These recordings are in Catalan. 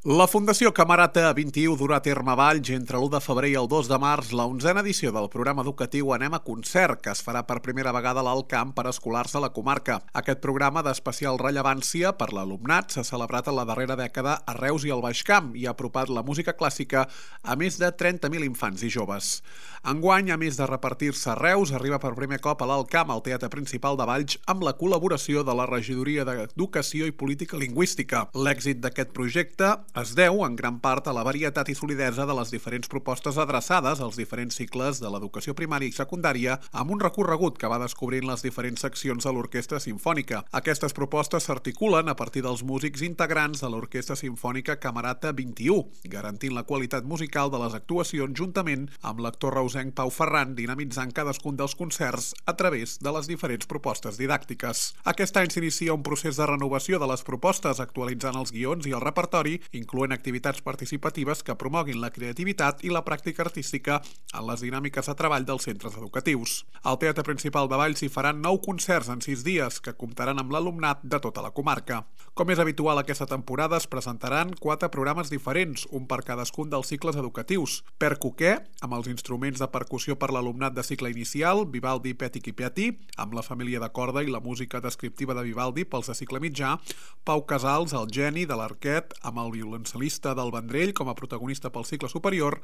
La Fundació Camerata 21 durà a terme a Valls entre l'1 de febrer i el 2 de març la 11a edició del programa educatiu Anem a Concert, que es farà per primera vegada a l'Alt Camp per a escolars de la comarca. Aquest programa d'especial rellevància per l'alumnat s'ha celebrat en la darrera dècada a Reus i al Baix Camp i ha apropat la música clàssica a més de 30.000 infants i joves. Enguany, a més de repartir-se a Reus, arriba per primer cop a l'Alt Camp, al Teatre Principal de Valls, amb la col·laboració de la Regidoria d'Educació i Política Lingüística. L'èxit d'aquest projecte es deu en gran part a la varietat i solidesa de les diferents propostes adreçades als diferents cicles de l'educació primària i secundària amb un recorregut que va descobrint les diferents seccions de l'Orquestra Simfònica. Aquestes propostes s'articulen a partir dels músics integrants de l'Orquestra Simfònica Camerata 21, garantint la qualitat musical de les actuacions juntament amb l'actor reusenc Pau Ferran, dinamitzant cadascun dels concerts a través de les diferents propostes didàctiques. Aquest any s'inicia un procés de renovació de les propostes, actualitzant els guions i el repertori, incloent activitats participatives que promoguin la creativitat i la pràctica artística en les dinàmiques de treball dels centres educatius. Al Teatre Principal de Valls s'hi faran 9 concerts en 6 dies que comptaran amb l'alumnat de tota la comarca. Com és habitual aquesta temporada, es presentaran 4 programes diferents, un per cadascun dels cicles educatius. Per Coquer, amb els instruments de percussió per l'alumnat de cicle inicial, Vivaldi Petit i Piatti, amb la família de corda i la música descriptiva de Vivaldi pels de cicle mitjà, Pau Casals, el geni de l'Arquet, amb el violoncel·lista del Vendrell com a protagonista pel cicle superior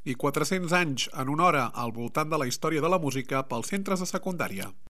i 400 anys en una hora al voltant de la història de la música pels centres de secundària.